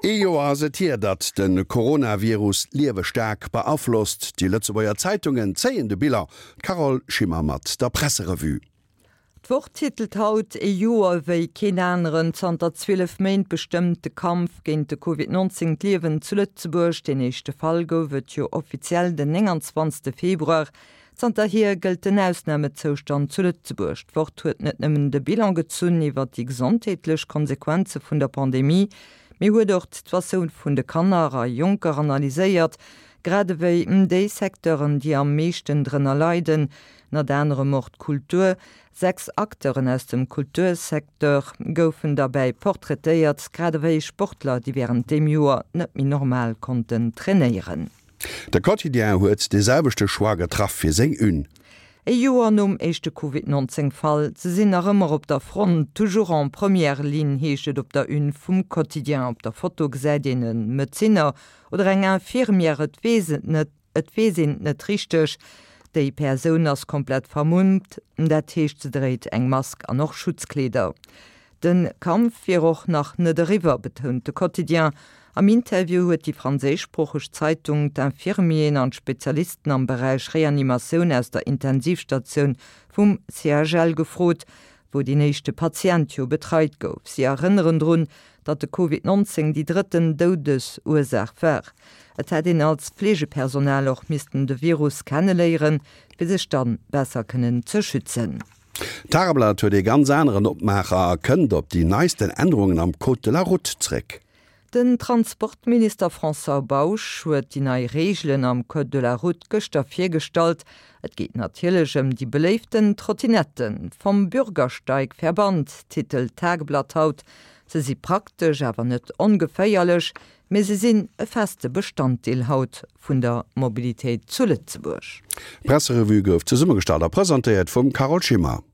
Ee Joer ass et hier, datt de Coronavirus d'Liewe staark beaflosst. Déi Lëtzebuerger Zeitungen zéien de Bilan. D'Carole Schimmer mat der Presserevue. D'Wort titelt haut Ee Joer wéi keen aneren. Zanter 12 Méint bestëmmt de Kampf géint de Covid 19 d'Liewen zu Lëtzebuerg. Deen éischte Fall gouf et jo offiziell den 29 Februar. Zanterhier gëllt den Ausnamezoustand zu Lëtzebuerg. D'Wort huet net nëmmen de Bilan gezunn iwwer déi gesondheetlech Konsequenze vun der Pandemie, mee huet och d'Situatioun vun de Kanner a Jonker analyséiert, grad ewéi déi Secteuren, déi am meeschten drënner leiden, ënnert anerem och d'Kultur. 6 Acteuren aus dem Kultursecteur goufen derbäi portraitéiert, grad ewéi Sportler, déi wärend deem Joer net méi normal konnten trainéieren. De Quotidien huet dee selwechte Choix getraff fir seng Une. E Joer nom éischte Covid 19 Fall, se sinn nach ëmmer op der Front, toujours en première ligne heescht et op der Une vum Quotidien. Op der Foto gesäit een e Medezinner oder eng Infirmière, et weess et net, et weess een et net richteg. Déi Persoun ass komplett vermummt, dat heescht se dréit eng Mask an och Schutzkleeder. De Kampf wier och nach net eriwwer, betount de Quotidien. Am Interview huet déi franséischsproocheg Zeitung d'Infirmieren an d'Spezialisten am Beräich Reanimatioun aus der Intensivstatioun vum CHL gefrot, wou deen éischte Patient jo betreit gouf. Si erënneren drun, datt de Covid 19 déi drëtten Doudesursaach war. Et hätt een als Fleegepersonal och missten de Virus kenneléieren, fir sech dann besser kënnen ze schützen. D'Tageblatt huet ee ganz aneren Opmaacher a kënnt op déi neisten Ännerungen am Code de la Route zréck. Den Transportminister François Bausch huet déi nei Reegelen am Code de la Route gëschter virgestallt. Et geet natierlech ëm déi beléiften Trottinetten. Vom Bürgersteig verbannt, titelt d'Tageblatt haut. Se si praktesch, awer net ongeféierlech, mee se sinn e feste Bestanddeel haut vun der Mobilitéit zu Lëtzebuerg. D'Presserevue gouf zesummegestallt a presentéiert vum Carole Schimmer.